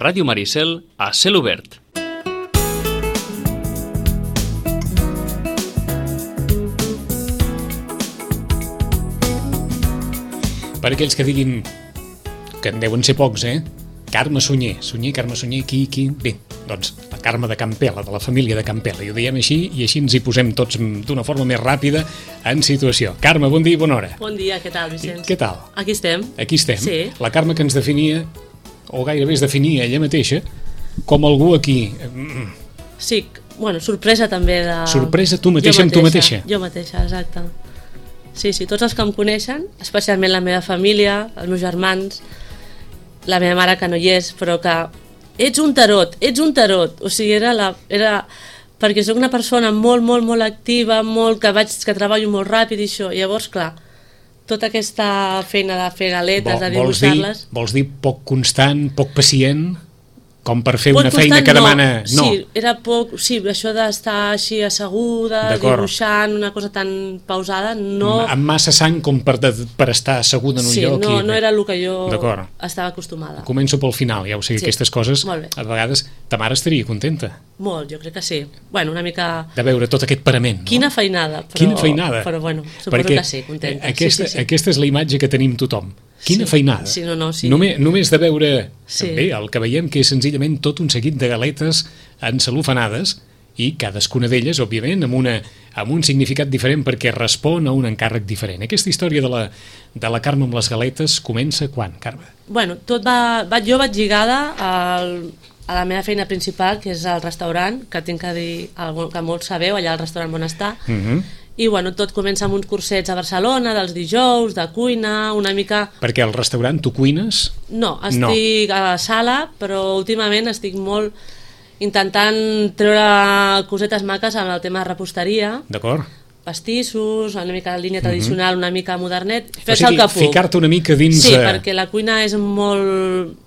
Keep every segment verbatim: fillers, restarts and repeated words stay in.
Ràdio Maricel a cel obert. Per aquells que diguin que en deuen ser pocs, eh? Carme Sunyer, Sunyer, Carme Sunyer, qui, qui... Bé, doncs la Carme de Campela, de la família de Campela, i ho diem així, i així ens hi posem tots d'una forma més ràpida en situació. Carme, bon dia i bona hora. Bon dia, què tal, Vicenç? Què tal? Aquí estem. Aquí estem. Sí. La Carme que ens definia, o gairebé es definia ella mateixa, com algú aquí... Sí, bueno, sorpresa també de... Sorpresa tu mateixa amb tu mateixa. Jo mateixa, exacte. Sí, sí, tots els que em coneixen, especialment la meva família, els meus germans, la meva mare que no hi és, però que ets un tarot, ets un tarot. O sigui, era la... Era... perquè soc una persona molt, molt, molt activa, molt que vaig, que treballo molt ràpid i això. I llavors, clar, tota aquesta feina de fer galetes, Vol, de dibuixar-les... Vols dir poc constant, poc pacient, com per fer poc una feina constant, que no. demana... No, sí, era poc... Sí, això d'estar així asseguda, dibuixant, una cosa tan pausada, no... Amb massa sang com per, de, per estar asseguda en un sí, lloc. Sí, no, i... no era el que jo estava acostumada. Començo pel final, ja ho sé, sí. Aquestes coses, a vegades, ta mare estaria contenta. Molt, jo crec que sí. Bueno, una mica... De veure tot aquest parament, no? Quina feinada. Però... Quina feinada. Però bueno, suposo Perquè que sí, contenta. Aquesta, sí, sí, sí. aquesta és la imatge que tenim tothom. Quina sí. feinada. Sí, no, no, sí. Només, només de veure sí. bé, el que veiem que és senzillament tot un seguit de galetes encelofanades i cadascuna d'elles, òbviament, amb, una, amb un significat diferent perquè respon a un encàrrec diferent. Aquesta història de la, de la Carme amb les galetes comença quan, Carme? Bueno, tot va, va, jo vaig lligada al, a la meva feina principal, que és el restaurant, que tinc que dir, que molts sabeu, allà al restaurant Bonestar, uh -huh. I bueno, tot comença amb uns cursets a Barcelona, dels dijous, de cuina, una mica... Perquè al restaurant tu cuines? No, estic no. a la sala, però últimament estic molt intentant treure cosetes maques amb el tema de reposteria. D'acord. Pastissos, una mica línia tradicional, uh-huh. una mica modernet, fer-se o sigui, el que puc. Ficar-te una mica dins... Sí, perquè la cuina és molt...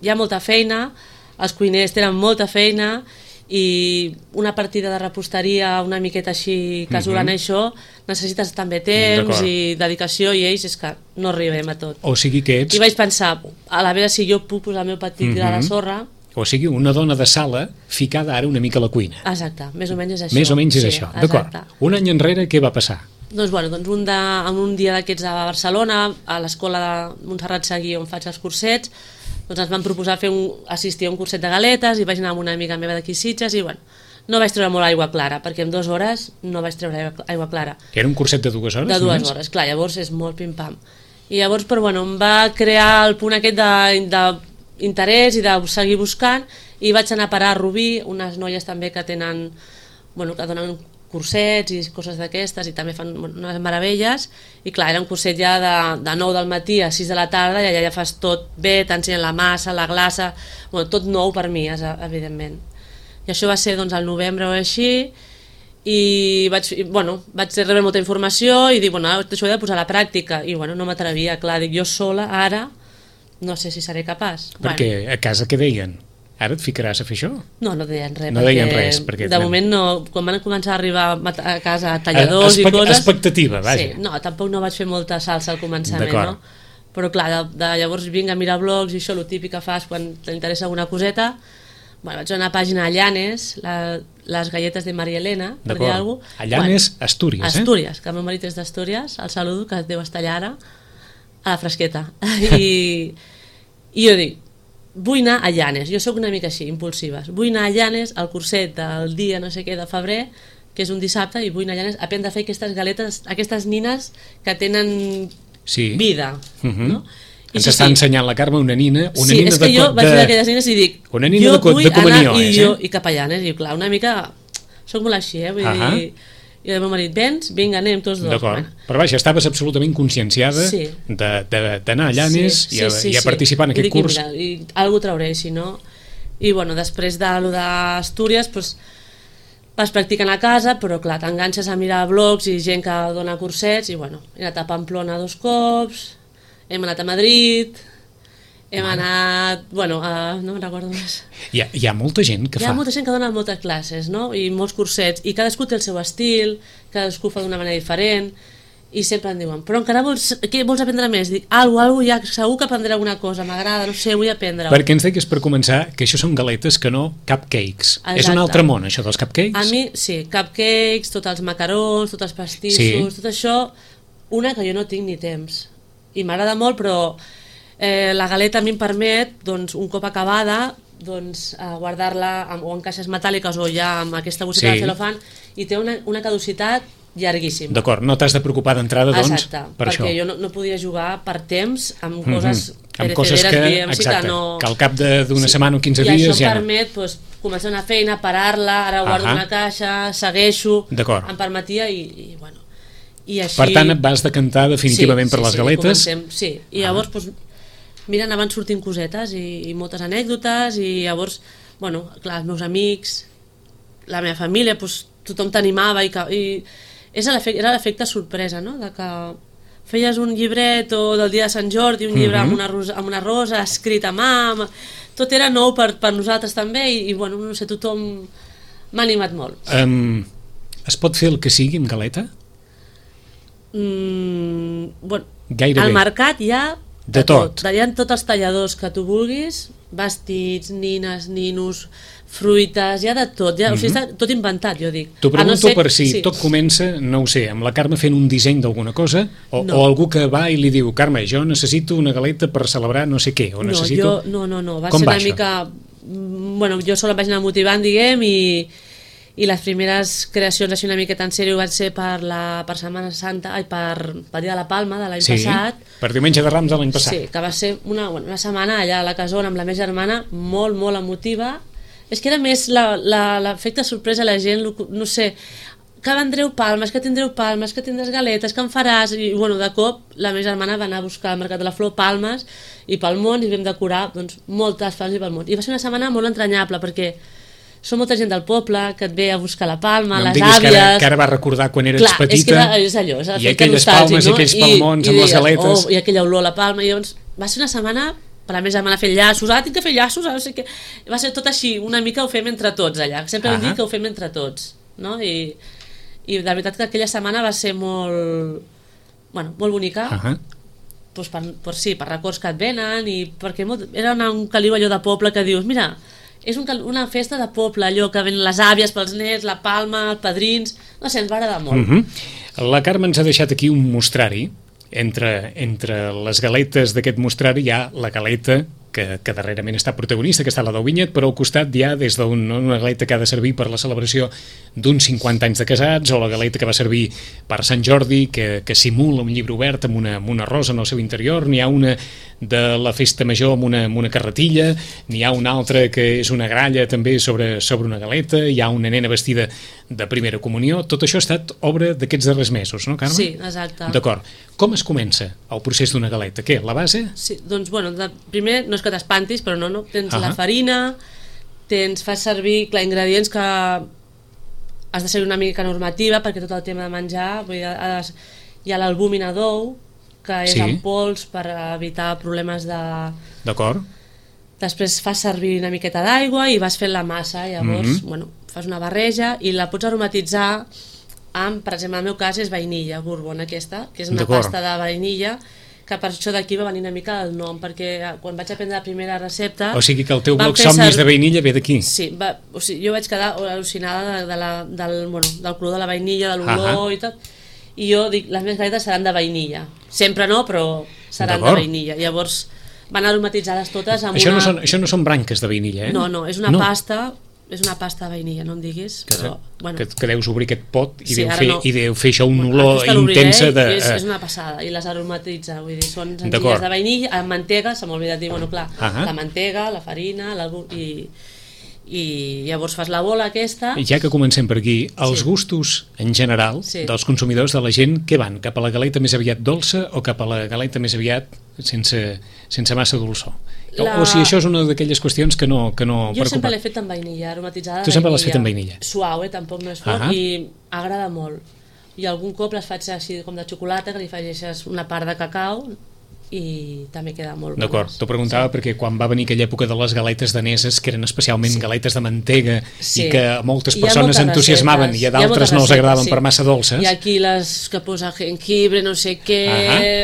Hi ha molta feina, els cuiners tenen molta feina, i una partida de reposteria una miqueta així casolana, uh-huh. això necessites també temps i dedicació, i ells és que no arribem a tot. O sigui que ets... I vaig pensar, a la veure si jo puc posar el meu petit uh-huh. gra de sorra. O sigui, una dona de sala ficada ara una mica a la cuina. Exacte, més o menys és això. Més o menys és sí, això, d'acord. Un any enrere què va passar? Doncs, bueno, doncs un, de, en un dia d'aquests de Barcelona, a l'escola de Montserrat Seguí, on faig els cursets, doncs ens van proposar fer un, assistir a un curset de galetes i vaig anar amb una amiga meva d'aquí Sitges i bueno, no vaig treure molt aigua clara perquè en dues hores no vaig treure aigua, aigua clara. Era un curset de dues hores? De dues només? hores, clar, llavors és molt pim-pam. I llavors, però bueno, em va crear el punt aquest d'interès i de seguir buscant i vaig anar a parar a Rubí, unes noies també que tenen, bueno, que donen cursets i coses d'aquestes i també fan unes meravelles i clar, era un curset ja de, de nou del matí a sis de la tarda i allà ja fas tot bé, t'ensenyen la massa, la glassa, bueno, tot nou per mi, evidentment. I això va ser doncs al novembre o així i vaig, bueno, vaig rebre molta informació i dic, bueno, això ho he de posar a la pràctica i bueno, no m'atrevia, clar, dic, jo sola ara no sé si seré capaç. Perquè bueno. A casa què deien? Ara et ficaràs a fer això? No, no deien res. No deien res. Perquè de moment no, quan van començar a arribar a casa talladors Espe i coses... Expectativa, vaja. Sí, no, tampoc no vaig fer molta salsa al començament, no? Però clar, de, de llavors vinc a mirar blogs i això, el típic que fas quan t'interessa alguna coseta. Bueno, vaig a una pàgina a Llanes, la, les galletes de Maria Elena, per dir alguna cosa. A Llanes, bueno, Astúries, eh? Astúries, que el meu marit és d'Astúries, el saludo, que deu estar allà ara, a la fresqueta. I, i jo dic, vull anar a Llanes, jo sóc una mica així, impulsives, vull anar a Llanes al curset del dia no sé què de febrer, que és un dissabte, i vull anar a Llanes a aprendre a fer aquestes galetes, aquestes nines que tenen sí. vida, uh-huh. no? I ens sí, està sí. ensenyant la Carme una nina, una sí, nina és que de, jo de, vaig veure aquelles nines i dic, una nina jo de, vull de comunió, anar i, eh? jo, i cap a Llanes, i clar, una mica, soc molt així, eh? Vull uh-huh. dir, i el meu marit, vens, vinga, anem tots dos. D'acord, bueno. Però vaja, estaves absolutament conscienciada sí. d'anar a Llanes sí, sí, i, a, sí, i a participar sí. en aquest I dic, curs. I, mira, i alguna trauré, si no... I bueno, després de lo d'Astúries, doncs, vas practicant a casa, però clar, t'enganxes a mirar blogs i gent que dona cursets, i bueno, he anat a Pamplona dos cops, hem anat a Madrid... Hem anat, bueno, a, no me'n recordo més. Hi ha, hi ha molta gent que hi fa... Hi ha molta gent que dona moltes classes, no? I molts cursets, i cadascú té el seu estil, cadascú fa d'una manera diferent, i sempre em diuen, però encara vols, què vols aprendre més? Dic, algo, algo, ja segur que aprendré alguna cosa, m'agrada, no sé, vull aprendre. Perquè ens deies per començar que això són galetes que no cupcakes. Exacte. És un altre món, això dels cupcakes? A mi, sí, cupcakes, tots els macarons, tots els pastissos, sí. Tot això, una que jo no tinc ni temps. I m'agrada molt, però eh, la galeta a mi em permet, doncs, un cop acabada, doncs, eh, guardar-la en, o en caixes metàl·liques o ja amb aquesta bosseta sí. de celofan, i té una, una caducitat llarguíssim. D'acord, no t'has de preocupar d'entrada, doncs, exacte, per això. Exacte, perquè jo no, no podia jugar per temps amb coses mm-hmm. amb coses que, exacte, que, no... que al cap d'una sí. setmana o quinze I dies ja no. I això em permet pues, començar una feina, parar-la, ara guardo uh-huh. una caixa, segueixo, em permetia i, i bueno... I així... Per tant, et vas decantar definitivament sí, per sí, les sí, galetes? Comencem, sí, i llavors, uh-huh. pues, mira, anaven sortint cosetes i, i moltes anècdotes i llavors, bueno, clar, els meus amics, la meva família, pues, tothom t'animava i... i és l'efecte, era l'efecte sorpresa, no? De que feies un llibret o del dia de Sant Jordi, un llibre mm-hmm. amb, una rosa, amb una rosa escrit a mà, amb... tot era nou per, per nosaltres també i, i bueno, no sé, tothom m'ha animat molt. Um, es pot fer el que sigui amb galeta? Mm, bueno, gairebé. Al mercat hi ha de, de tot. tot. Hi ha tots els talladors que tu vulguis, vestits, nines, ninos, fruites, hi ha de tot, ja, mm-hmm. o sigui, està tot inventat, jo dic. T'ho pregunto no ser... per si sí. tot comença, no ho sé, amb la Carme fent un disseny d'alguna cosa, o, no. o algú que va i li diu, Carme, jo necessito una galeta per celebrar no sé què, o no, necessito... Jo, no, no, no, va Com ser va una això? mica... Bueno, jo sola em vaig anar motivant, diguem, i, i les primeres creacions així una miqueta en sèrio van ser per la per Setmana Santa, ai, per, per Dia de la Palma de l'any sí, passat. Per Diumenge de Rams de l'any passat. Sí, que va ser una, bueno, una setmana allà a la casona amb la meva germana, molt, molt emotiva. És que era més l'efecte sorpresa a la gent, no sé, que vendreu palmes, que tindreu palmes, que tindràs galetes, que en faràs, i bueno, de cop la meva germana va anar a buscar al Mercat de la Flor palmes i pel món, i vam decorar doncs, moltes palmes i pel món. I va ser una setmana molt entranyable, perquè són molta gent del poble que et ve a buscar la palma, no les àvies... Que ara, que ara va recordar quan eres clar, petita, és que era, és allò, és i aquelles palmes no? I aquells palmons I, amb i les galetes... Oh, I aquella olor a la palma, i llavors va ser una setmana... per a més setmana fer llaços, ah, tinc que fer llaços, ah, no sé què. Va ser tot així, una mica ho fem entre tots allà, sempre hem dit que ho fem entre tots, no? I, i de veritat que aquella setmana va ser molt, bueno, molt bonica, uh-huh. pues per, per, sí, per records que et venen, i perquè molt, era una, un caliu allò de poble que dius, mira, és un, una festa de poble, allò que ven les àvies pels nets, la palma, els padrins, no sé, ens va agradar molt. Uh-huh. La Carme ens ha deixat aquí un mostrari. Entre, entre les galetes d'aquest mostrari hi ha la galeta que, que darrerament està protagonista, que està la del Vinyet, però al costat hi ha des d'una galeta que ha de servir per la celebració d'uns cinquanta anys de casats, o la galeta que va servir per Sant Jordi, que, que simula un llibre obert amb una, amb una rosa en el seu interior, n'hi ha una de la festa major amb una, amb una carretilla, n'hi ha una altra que és una gralla també sobre, sobre una galeta, hi ha una nena vestida de primera comunió. Tot això ha estat obra d'aquests darrers mesos, no, Carme? Sí, exacte. D'acord. Com es comença el procés d'una galeta? Què, la base? Sí, doncs, bueno, de, primer no és que t'espantis, però no, no, tens uh-huh. la farina, tens, fas servir, clar, ingredients que has de ser una mica normativa, perquè tot el tema de menjar, vull dir, has, hi ha l'albúmina d'ou, que és sí. en pols per evitar problemes de... D'acord. Després fas servir una miqueta d'aigua i vas fent la massa, llavors, mm-hmm. bueno, fas una barreja i la pots aromatitzar amb, per exemple, en el meu cas és vainilla, bourbon aquesta, que és una pasta de vainilla, que per això d'aquí va venir una mica el nom, perquè quan vaig aprendre la primera recepta... O sigui que el teu bloc somnis de vainilla ve d'aquí. Sí, va, o sigui, jo vaig quedar al·lucinada de, de la, del, bueno, del color de la vainilla, de l'olor uh-huh. i tot, i jo dic, les meves galetes seran de vainilla. Sempre no, però seran de vainilla. Llavors van aromatitzades totes amb això una... No són, això no són branques de vainilla, eh? No, no, és una no. pasta... És una pasta de vainilla, no em diguis, que, però... Bueno. Que, que deus obrir aquest pot i, sí, deu fer, no. i deu fer això un bueno, olor intensa de... És, és una passada, i les aromatitza, vull dir, són senzilles de vainilla, amb mantega, se m'ha oblidat dir, bueno, clar, uh-huh. la mantega, la farina, la, i, i llavors fas la bola aquesta... I ja que comencem per aquí, els sí. gustos en general sí. dels consumidors, de la gent, què van? Cap a la galeta més aviat dolça o cap a la galeta més aviat sense, sense massa dolçor? La... O si això és una d'aquelles qüestions que no, que no jo preocupa. Sempre l'he fet amb vainilla, aromatitzada de tu sempre vainilla. L'has fet amb vainilla? Suau, eh? Tampoc no és fort, uh-huh. i agrada molt. I algun cop les faig així com de xocolata, que li afegeixes una part de cacau i també queda molt bones. D'acord, t'ho preguntava sí. perquè quan va venir aquella època de les galetes daneses, que eren especialment sí. galetes de mantega sí. i que moltes persones entusiasmaven receptes. I a d'altres no els agradaven sí. per massa dolces. I aquí les que posa jengibre, no sé què...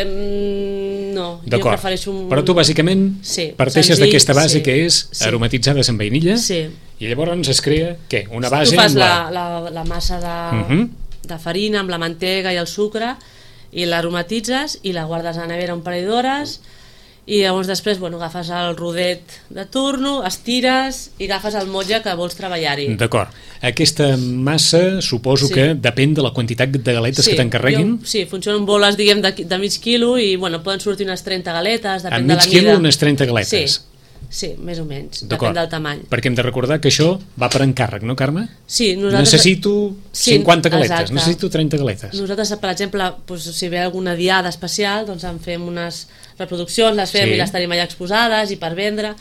Mm, no, jo prefereixo un... Però tu bàsicament sí. parteixes d'aquesta base sí. que és sí. aromatitzades amb vainilla sí. i llavors es crea, què? Una base... Tu fas amb la... La, la, la massa de, uh-huh. de farina amb la mantega i el sucre i l'aromatitzes i la guardes a la nevera un parell d'hores i llavors després bueno, agafes el rodet de turno, estires i agafes el motlle que vols treballar-hi. D'acord. Aquesta massa suposo sí. que depèn de la quantitat de galetes sí, que t'encarreguin. Sí, funcionen boles diguem de, de mig quilo i bueno, poden sortir unes trenta galetes, depèn de la mida. A mig quilo unes trenta galetes? Sí. Sí, més o menys, depèn del tamany. Perquè hem de recordar que això va per encàrrec, no, Carme? Sí, nosaltres... Necessito cinquanta galetes, exacte. necessito trenta galetes. Nosaltres, per exemple, doncs, si ve alguna diada especial, doncs en fem unes reproduccions, les fem sí. i les tenim allà exposades i per vendre.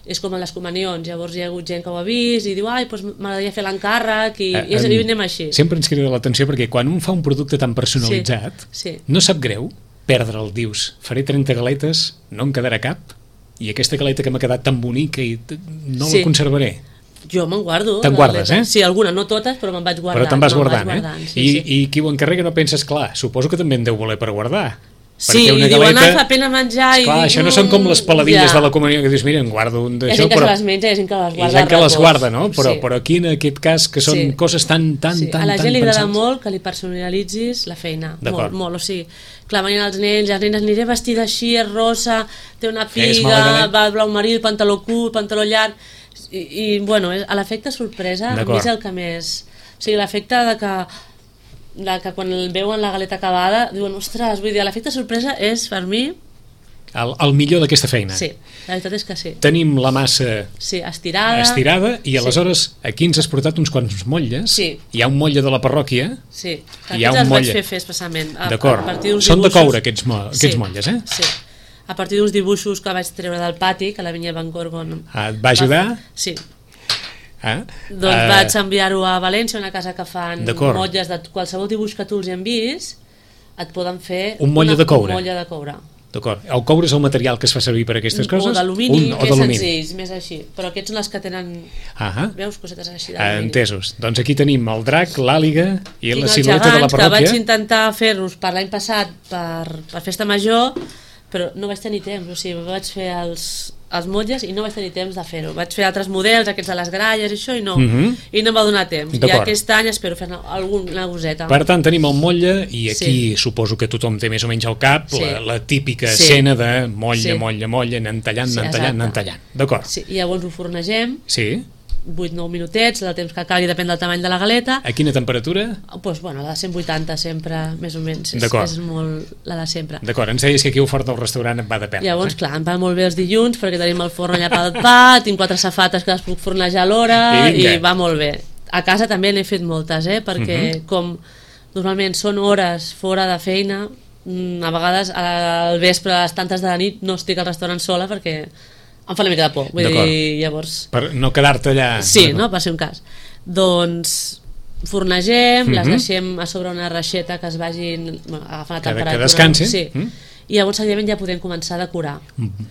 És com en les comunions, llavors hi ha hagut gent que ho ha vist i diu, ai, doncs m'agradaria fer l'encàrrec i, eh, i, i anem així. Sempre ens crida l'atenció perquè quan un fa un producte tan personalitzat, sí. Sí. no sap greu perdre'l, dius, faré trenta galetes, no em quedarà cap, i aquesta galeta que m'ha quedat tan bonica i no sí. la conservaré. Jo me'n guardo. Te'n guardes, eh? Sí, alguna, no totes, però me'n vaig guardant. Però te'n vas guardant, guardant, eh? Sí, I, sí. I qui ho encarrega no penses, clar, suposo que també en deu voler per guardar. Sí, i galeta... diuen, ah, fa pena menjar... Esclar, i... això no són com les peladilles ja. de la comunió que dius, mira, en guardo un d'això... Hi ha gent que però... se les menja, hi ha gent que les guarda. Hi ha gent que les guarda, no? Però, sí. però aquí, en aquest cas, que són sí. coses tan, tan, sí. tan, a la gent li agrada pensats. molt que li personalitzis la feina. Molt, molt, o sigui, clar, venien els nens, les nenes, aniré vestida així, és rosa, té una piga, va blau marí, el pantaló curt, pantaló llarg... I, i bueno, a l'efecte sorpresa, a mi és el que més... O sigui, l'efecte de que... de que quan veuen la galeta acabada diuen, ostres, vull dir, l'efecte sorpresa és per mi el, el millor d'aquesta feina. Sí, la veritat és que sí. Tenim la massa sí, estirada, estirada i aleshores sí. aquí ens has portat uns quants motlles. Sí. Hi ha un motlle de la parròquia. Sí, hi ha un els motlle. vaig fer fer especialment. D'acord, són de coure aquests, mo aquests sí. motlles, eh? Sí, a partir d'uns dibuixos que vaig treure del pati, que la vinya Van Gorgon... Ah, et va ajudar? Va... Sí. Ah, doncs uh, vaig enviar-ho a València, una casa que fan motlles de qualsevol dibuix que tu els hi enviïs, et poden fer un motlle una, de coure. Un motlle de coure. D'acord. El coure és el material que es fa servir per a aquestes coses? O d'alumini, més senzills, més així. Però aquests són les que tenen, ah veus, cosetes així d'alumini. Entesos. Doncs aquí tenim el drac, l'àliga i Tinc la silueta de la parròquia. Que vaig intentar fer-los per l'any passat per, per festa major, però no vaig tenir temps, o sigui, vaig fer els, els motlles i no vaig tenir temps de fer-ho. Vaig fer altres models, aquests de les gralles i això, i no, uh -huh. i no em va donar temps. I aquest any espero fer alguna coseta. Per tant, tenim el motlle i aquí sí. suposo que tothom té més o menys al cap sí. la, la típica sí. escena de motlle, sí. motlle, motlle, anant tallant, anant sí, tallant, anant tallant. D'acord. Sí. I llavors ho fornegem. Sí. vuit nou minutets, el temps que calgui depèn del tamany de la galeta. A quina temperatura? Pues, bueno, la de cent vuitanta sempre, més o menys, és, és molt la de sempre. D'acord, ens deies que aquí el fort del restaurant et va de perles. Llavors, eh? clar, em van molt bé els dilluns perquè tenim el forn allà pel pa, tinc quatre safates que les puc fornejar a l'hora i, i va molt bé. A casa també n'he fet moltes, eh? perquè uh -huh. com normalment són hores fora de feina, a vegades al vespre a les tantes de la nit no estic al restaurant sola perquè em fa una mica de por, vull dir, llavors... Per no quedar-te allà... Sí, no? Per ser un cas. Doncs fornegem, uh -huh. les deixem a sobre una reixeta que es vagin... Bueno, agafant la temperatura. Que descansi. Sí. Uh -huh. I llavors, seguidament, ja podem començar a decorar.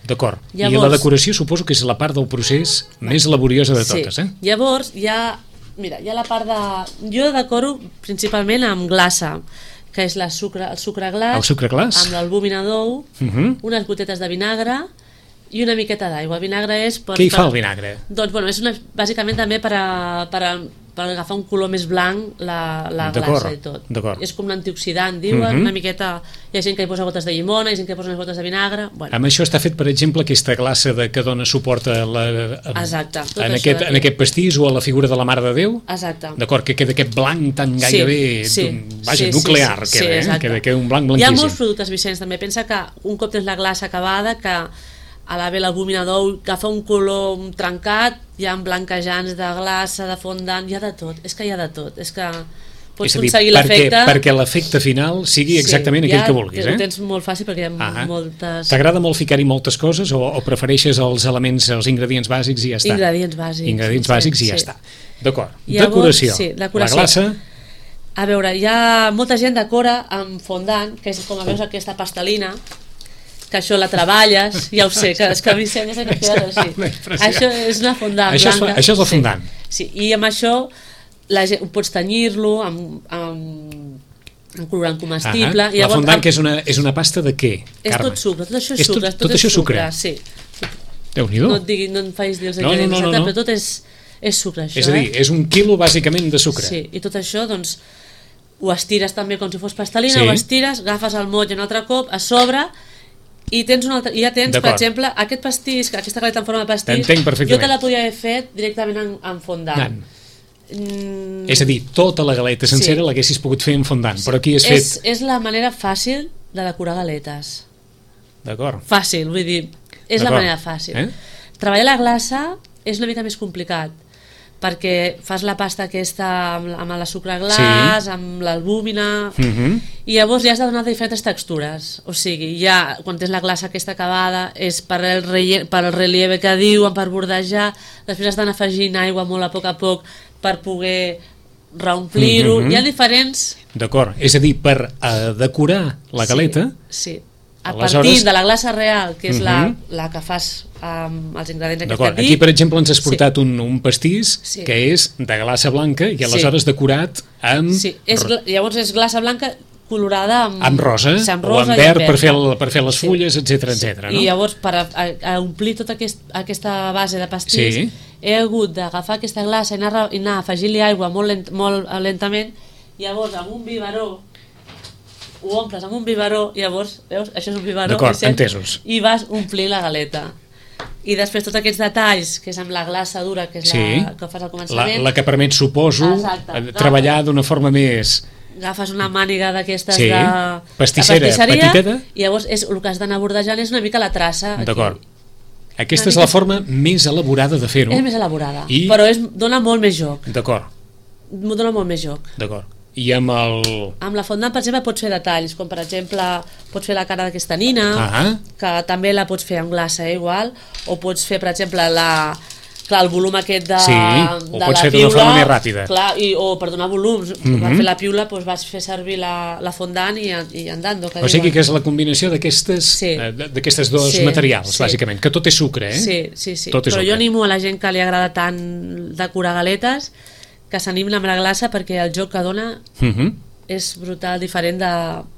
D'acord. Llavors... I la decoració suposo que és la part del procés més laboriosa de totes, sí. eh? Llavors, ja... Mira, hi ha la part de... Jo decoro principalment amb glassa, que és la sucre, el sucre glaç, el sucre glaç, amb l'albúmina d'ou, uh -huh. unes gotetes de vinagre i una miqueta d'aigua. El vinagre és... Per, Què hi per, fa el vinagre? Doncs, bueno, és una, bàsicament també per, a, per, a, per agafar un color més blanc la, la glassa i tot. És com un antioxidant, diuen, uh -huh. una miqueta... Hi ha gent que hi posa gotes de llimona, hi ha gent que hi posa unes gotes de vinagre... Bueno. Amb això està fet, per exemple, aquesta glassa de, que dona suport a la, a, Exacte. En aquest, en aquest pastís o a la figura de la Mare de Déu? Exacte. D'acord, que queda aquest blanc tan gairebé... Sí, sí. Vaja, sí, nuclear, sí, queda, sí, eh? Queda, queda un blanc blanquíssim. Hi ha molts productes, Vicenç, també. Pensa que un cop tens la glassa acabada, que a la ve l'albúmina d'ou agafa un color trencat, hi ha blanquejants de glassa, de fondant, hi ha de tot, és que hi ha de tot, és que pots és dir, aconseguir l'efecte... Perquè, perquè l'efecte final sigui exactament sí, aquell que vulguis, eh? Ho tens molt fàcil perquè hi ha ah, moltes... T'agrada molt ficar-hi moltes coses o, o prefereixes els elements, els ingredients bàsics i ja està? Ingredients bàsics. Ingredients sí, bàsics sí, i ja sí. està. D'acord, decoració. Sí, decoració. La glassa... A veure, hi ha molta gent decora amb fondant, que és com a veus aquesta pastelina, que això la treballes, ja ho sé, que és que a mi sembla que quedes així. Això és una fondant això blanca. És, això és la fondant. Sí, sí. I amb això la gent, pots tenyir-lo amb, amb, amb colorant comestible. Ah, la fondant, amb... que és una, és una pasta de què, és Carme? tot sucre, tot això és, és sucre. Tot, tot, tot això és sucre? Sí. Déu-n'hi-do. No et digui, no em facis dir els no, ingredients, no, no, no. però tot és, és sucre, això. És a dir, eh? és un quilo bàsicament de sucre. Sí, i tot això, doncs, ho estires també com si fos pastelina, sí. ho estires, agafes el motlle un altre cop, a sobre, i tens un altre, i ja tens, per exemple, aquest pastís, aquesta galeta en forma de pastís, jo te la podia haver fet directament en, en fondant. Mm. És a dir, tota la galeta sencera sí. l'haguessis pogut fer en fondant, sí. però aquí has fet... És, és la manera fàcil de decorar galetes. D'acord. Fàcil, vull dir, és la manera fàcil. Eh? Treballar la glassa és una mica més complicat, perquè fas la pasta aquesta amb, amb la sucre glaç, sí. amb l'albúmina, uh -huh. i llavors ja has de donar diferents textures. O sigui, ja quan tens la glassa aquesta acabada és per el, relle per el relieve que diuen, per bordejar, després has d'anar afegint aigua molt a poc a poc per poder reomplir-ho. Uh -huh. Hi ha diferents... D'acord, és a dir, per uh, decorar la galeta... Sí, sí. A partir Aleshores... de la glassa real, que és uh -huh. la, la que fas amb els ingredients que t'he dit. Aquí, per exemple, ens has portat sí. un, un pastís sí. que és de glassa blanca i aleshores sí. decorat amb... Sí, és, llavors és glassa blanca colorada amb, amb rosa, sí, amb rosa o amb verd per fer, el, per fer les fulles, sí. etcètera, etcètera. No? I llavors, per a, a, a omplir tota aquest, aquesta base de pastís, sí. he hagut d'agafar aquesta glassa i anar, i anar afegint-li aigua molt, lent, molt lentament, llavors amb un biberó ho omples amb un biberó, i llavors, veus, això és un biberó, d'acord, entesos, i vas omplir la galeta. I després tots aquests detalls, que és amb la glassa dura, que és sí. la que fas al començament, la, la que permet, suposo, exacte, treballar d'una forma més... Agafes una màniga d'aquestes sí. de, pastissera, de pastisseria, petiteta, i llavors és, el que has d'anar bordejant és una mica la traça. D'acord. Aquesta és la forma més elaborada de fer-ho. És més elaborada, I... però és, dona molt més joc. D'acord. Dona molt més joc. D'acord. I amb el... Amb la fondant, per exemple, pots fer detalls, com per exemple, pots fer la cara d'aquesta nina, ah que també la pots fer amb glassa, eh, igual, o pots fer, per exemple, la... Clar, el volum aquest de, sí, de pots la fer piula, forma més ràpida. Clar, i, o per donar volums, uh -huh. per fer la piula doncs vas fer servir la, la fondant i, i andando. Que o sigui que és la combinació d'aquestes sí. d'aquestes dos sí, materials, sí. bàsicament, que tot és sucre, eh? Sí, sí, sí. Tot és però sucre. Jo animo a la gent que li agrada tant decorar galetes que s'animin amb la glassa, perquè el joc que dona... Uh -huh. és brutal, diferent de,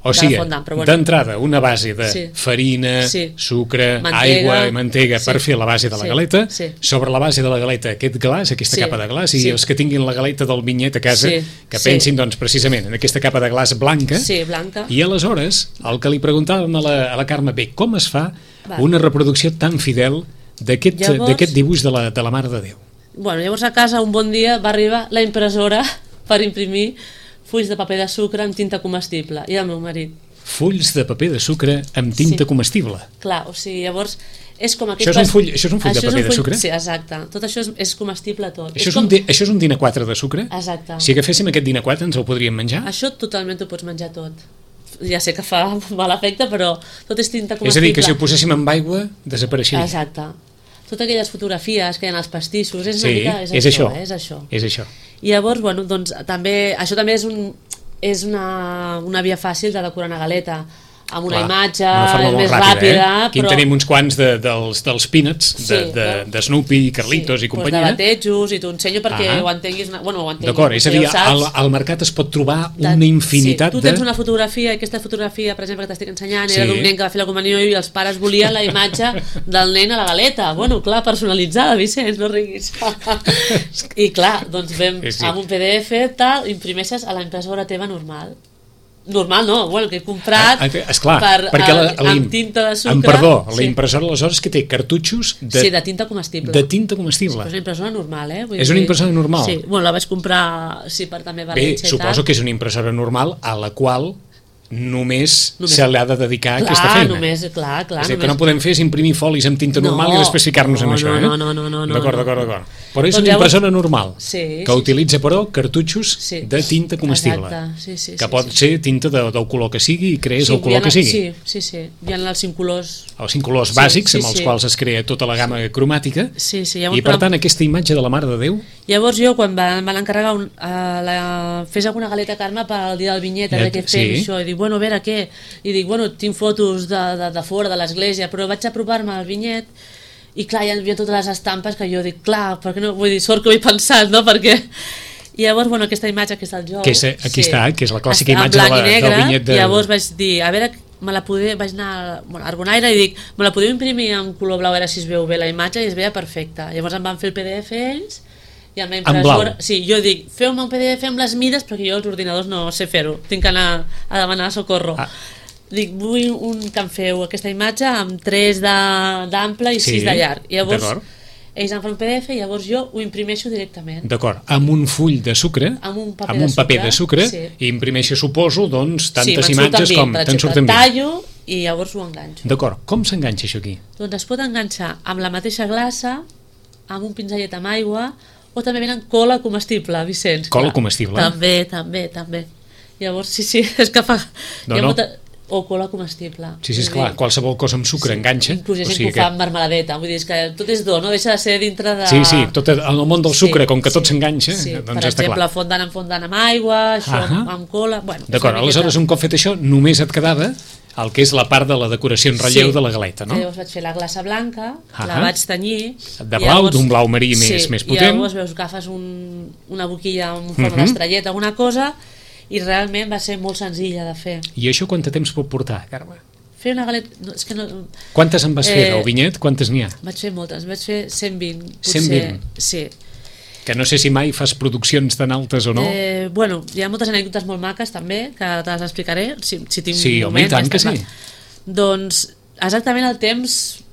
o sigui, de la fondant. Bueno. D'entrada, una base de sí. farina, sí. sucre, mantega, aigua i mantega sí. per fer la base de la sí. galeta, sí. sobre la base de la galeta aquest glaç, aquesta sí. capa de glaç, i sí. els que tinguin la galeta del vinyet a casa, sí. que sí. pensin, doncs, precisament en aquesta capa de glaç blanca, sí, blanca. I aleshores, el que li preguntàvem a la, a la Carme, bé, com es fa Va. una reproducció tan fidel d'aquest llavors... dibuix de la, de la Mare de Déu? Bueno, llavors a casa un bon dia va arribar la impressora per imprimir fulls de paper de sucre amb tinta comestible, i el meu marit. Fulls de paper de sucre amb tinta sí. comestible? Clar, o sigui, llavors és com aquest... Això és un full, això és un full això de paper full, de sucre? Sí, exacte. Tot això és, és comestible tot. Això és, com... un, això és un dinar quatre de sucre? Exacte. Si agaféssim aquest dinar quatre ens el podríem menjar? Això totalment ho pots menjar tot. Ja sé que fa mal efecte, però tot és tinta comestible. És a dir, que si ho poséssim amb aigua, desapareixeria. Exacte. Totes aquelles fotografies que hi ha als pastissos, és una sí, mica... És, és això, això. Eh? És això. És això. I llavors, bueno, doncs, també, això també és un... és una, una via fàcil de decorar una galeta amb una Clar, imatge una més ràpida, ràpida, eh? Aquí però... en tenim uns quants de, dels, dels peanuts de, sí, de, de Snoopy i Carlitos sí, i companyia. Pues de batejos, i t'ho ensenyo perquè ah. ho entenguis, una... bueno, ho entenguis. D'acord, és a dir, al, al mercat es pot trobar una infinitat sí. de... Tu tens una fotografia, i aquesta fotografia, per exemple, que t'estic ensenyant, sí. era d'un nen que va fer la comunió i els pares volien la imatge del nen a la galeta. Bueno, clar, personalitzada, Vicenç, no riguis. I clar, doncs vam sí, sí. amb un P D F, tal, imprimeixes a la impressora teva normal. Normal no, bueno, que he comprat ah, esclar, per, perquè la, a, amb tinta de sucre. Amb perdó, la sí. impressora aleshores que té cartutxos de, sí, de tinta comestible. De tinta comestible. Sí, és una impressora normal, eh? Vull és dir, una impressora normal? Sí, bueno, la vaig comprar sí, per també València. Bé, suposo que és una impressora normal a la qual només, només se li ha de dedicar clar, aquesta feina. Només, clar, clar, és a dir, només... que no podem fer és imprimir folis amb tinta normal no, i després ficar-nos no, en això, no, eh? No, no, no, no, no. D'acord, d'acord, d'acord. Però és doncs una impressora llavors... normal, sí, que sí, utilitza, però, cartutxos sí. de tinta comestible. Exacte, sí, sí. Que sí, pot sí. ser tinta de, del color que sigui i crees sí, el color que sigui. Sí, sí, sí. Hi ha els cinc colors... Els cinc colors sí, bàsics, sí, amb els sí. quals es crea tota la gamma cromàtica. Sí, sí. I, per tant, aquesta imatge de la Mare de Déu... Llavors jo, quan em van encarregar un, uh, la... fes alguna galeta, Carme, pel dia del vinyet, a veure què fem, sí. això, i dic, bueno, a veure què? I dic, bueno, tinc fotos de, de, de fora, de l'església, però vaig apropar-me al vinyet i clar, hi havia totes les estampes que jo dic, clar, per què no? Vull dir, sort que ho he pensat, no? Perquè... I llavors, bueno, aquesta imatge que és el jou... Que és, aquí sí, està, que és la clàssica està imatge de la, negre, del vinyet de... I llavors vaig dir, a veure, me la poder, vaig anar bueno, a Argonaire i dic, me la podeu imprimir en color blau, a veure si es veu bé la imatge, i es veia perfecta. Llavors em van fer el P D F ells, i amb la impressora... Sí, jo dic, feu-me un P D F amb les mides, perquè jo els ordinadors no sé fer-ho, tinc que anar a demanar socorro. Ah. Dic, vull un, que em feu aquesta imatge amb tres d'ample i sis sí, de llarg. I llavors ells em fan un P D F i llavors jo ho imprimeixo directament. D'acord, amb un full de sucre, amb un paper, amb un de, sucre, paper de sucre, sí. I imprimeixo, suposo, doncs, tantes sí, imatges com te'n surten bé. Tallo i llavors ho enganxo. D'acord, com s'enganxa això aquí? Doncs es pot enganxar amb la mateixa glassa, amb un pinzellet amb aigua, o també venen cola comestible, Vicenç. Cola comestible? També, també, també. Llavors, sí, sí, és que fa... No, no. Molta... O cola comestible. Sí, sí, és clar, qualsevol cosa amb sucre sí, enganxa. Inclús hi ha gent o sigui que ho fa amb marmeladeta, vull dir, és que tot és do, no deixa de ser dintre de... Sí, sí, tot en el món del sucre, sí, com que tot sí, s'enganxa, sí. doncs per està exemple, clar. fondant en fondant amb aigua, això uh -huh. amb cola... Bueno, d'acord, aleshores un cop fet això, només et quedava el que és la part de la decoració en relleu sí. de la galeta, no? Llavors vaig fer la glassa blanca, uh -huh. la vaig tenyir... De blau, d'un blau marí més, sí, més potent. I llavors veus, agafes un, una boquilla en forma uh -huh. d'estrellet, alguna cosa... i realment va ser molt senzilla de fer. I això quant de temps pot portar, Carme? Fer una galeta... No, és que no... Quantes en vas eh, fer, del vinyet? Quantes n'hi ha? Vaig fer moltes, vaig fer cent vint. Potser, cent vint? Sí. Que no sé si mai fas produccions tan altes o no. Eh, bueno, hi ha moltes anècdotes molt maques també, que te les explicaré, si, si tinc sí, un moment. Sí, home, i tant que sí. Doncs exactament el temps,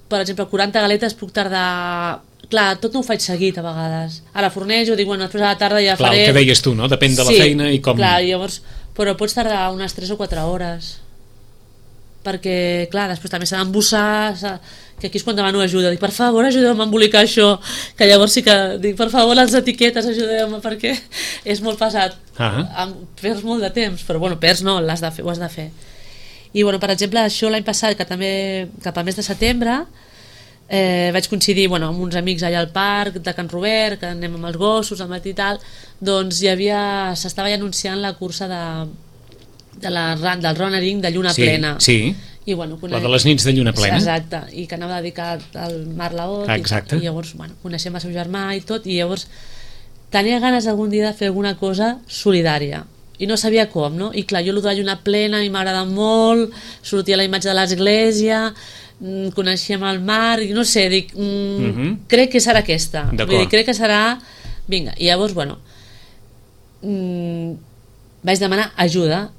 per exemple, quaranta galetes puc tardar... Clar, tot no ho faig seguit a vegades. Ara fornejo, dic, bueno, després a la tarda ja clar, faré... Clar, el que deies tu, no? Depèn de la sí, feina i com... clar, llavors... Però pots tardar unes tres o quatre hores. Perquè, clar, després també s'ha d'embossar, que aquí és quan demano ajuda. Dic, per favor, ajudeu-me a embolicar això. Que llavors sí que dic, per favor, les etiquetes, ajudeu-me, perquè és molt pesat. Ah. Perds molt de temps, però bueno, perds no, l'has de fer, ho has de fer. I, bueno, per exemple, això l'any passat, que també cap al mes de setembre, Eh, vaig coincidir bueno, amb uns amics allà al parc de Can Robert, que anem amb els gossos al matí i tal, doncs hi havia, s'estava ja anunciant la cursa de, de la, del runnering de lluna sí, plena sí. I, bueno, conec... la de les nits de lluna plena, exacte, i que anava dedicat al Marc Laot i, i llavors bueno, coneixem el seu germà i tot, i llavors tenia ganes algun dia de fer alguna cosa solidària i no sabia com, no? I clar, jo el de la lluna plena i m'agrada molt, sortia la imatge de l'església, coneixem el mar i no sé, dic mm, uh -huh. crec que serà aquesta, vull dir, crec que serà vinga, i llavors bueno mm, vaig demanar ajuda